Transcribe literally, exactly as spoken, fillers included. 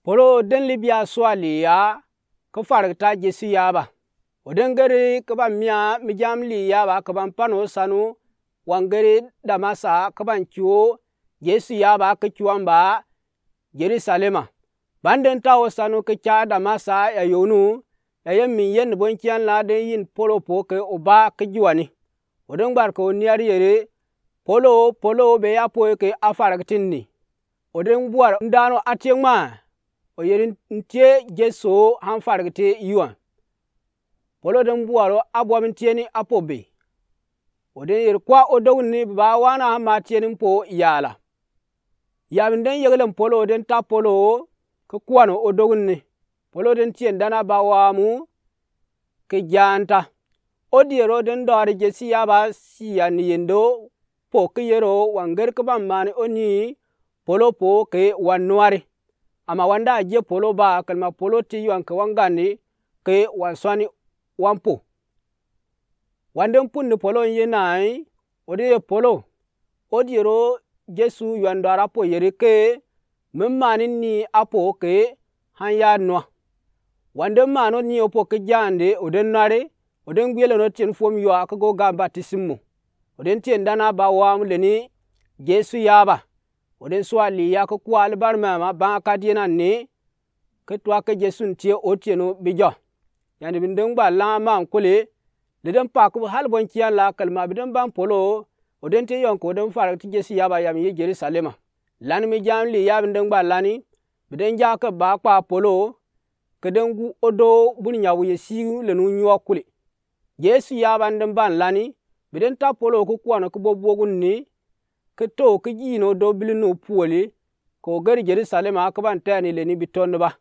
Polo den libia sua lia ke fargeta Jesu yaba. O den geri ke ban mia mi jam li yaba ke ban pano sanu wan geri Damasa ke ban cuo Jesu yaba ke cuan ba Jerusalema. Ban den tao sanu ke ca Damasa ya yonu ya ye min yen ni bon cian la den yin Polo po ke o ba ke juani. O den gbar ke o niar yeri, Polo, Polo, be ya po ke a fargeti ni. O den buar ndano atie ngma, o yeri ntie Jesu han fargeti yuan. Polo den buar o abuam ntie ni apo be. O den yeri kwa odoguni ba wana han ma tie ni mpo yala. Yabin den yegelen Polo den ta Polo ke kuan odoguni. Polo den tien dana ba wamu ke janta. O diero den dɔri Jesu yaba sia ni yendo po ke yero wan geri ke ban mani o ni Polo po ke wan nuari. Ama wan da jie Polo ba kelma Polo ti yuan ke wan gandi ke wan suani wan po. Wan den punni Polo nye nai, o den ye Polo. O diero Jesu yuan dɔri apo yeri ke, mi mani ni apo ke han ya nua. Wan den mani o ni opo ke jande o den nuari, o den gbielen o tien fuom yua ke go gan batisimo. O den tien dana ba wamu leni Jesu yaba. O den sua li ya ke kuali bari mama ba kadie nani ke tua ke Jesu ntie o tieno bi jɔ. Yani bi den gba la ma nkuli, li den pa ku hali bon cian la kelma bi den ban Polo, o den tie yɔn ke o den fargeti Jesu yaba yam ye Jerusalema. Lani mi jam li ya bi den gba lani, bi den ja ke ba kpa Polo, ke den gu odo buni nyawu ye siu lenu nyuɔ kuli. Jesu yaba den ban lani, bi den ta Polo ke kuan ke bobuogu ni, ke to ke jino do bili nu puoli, ke o geri Jerusalema ke ban teni leni bi tɔnne ba.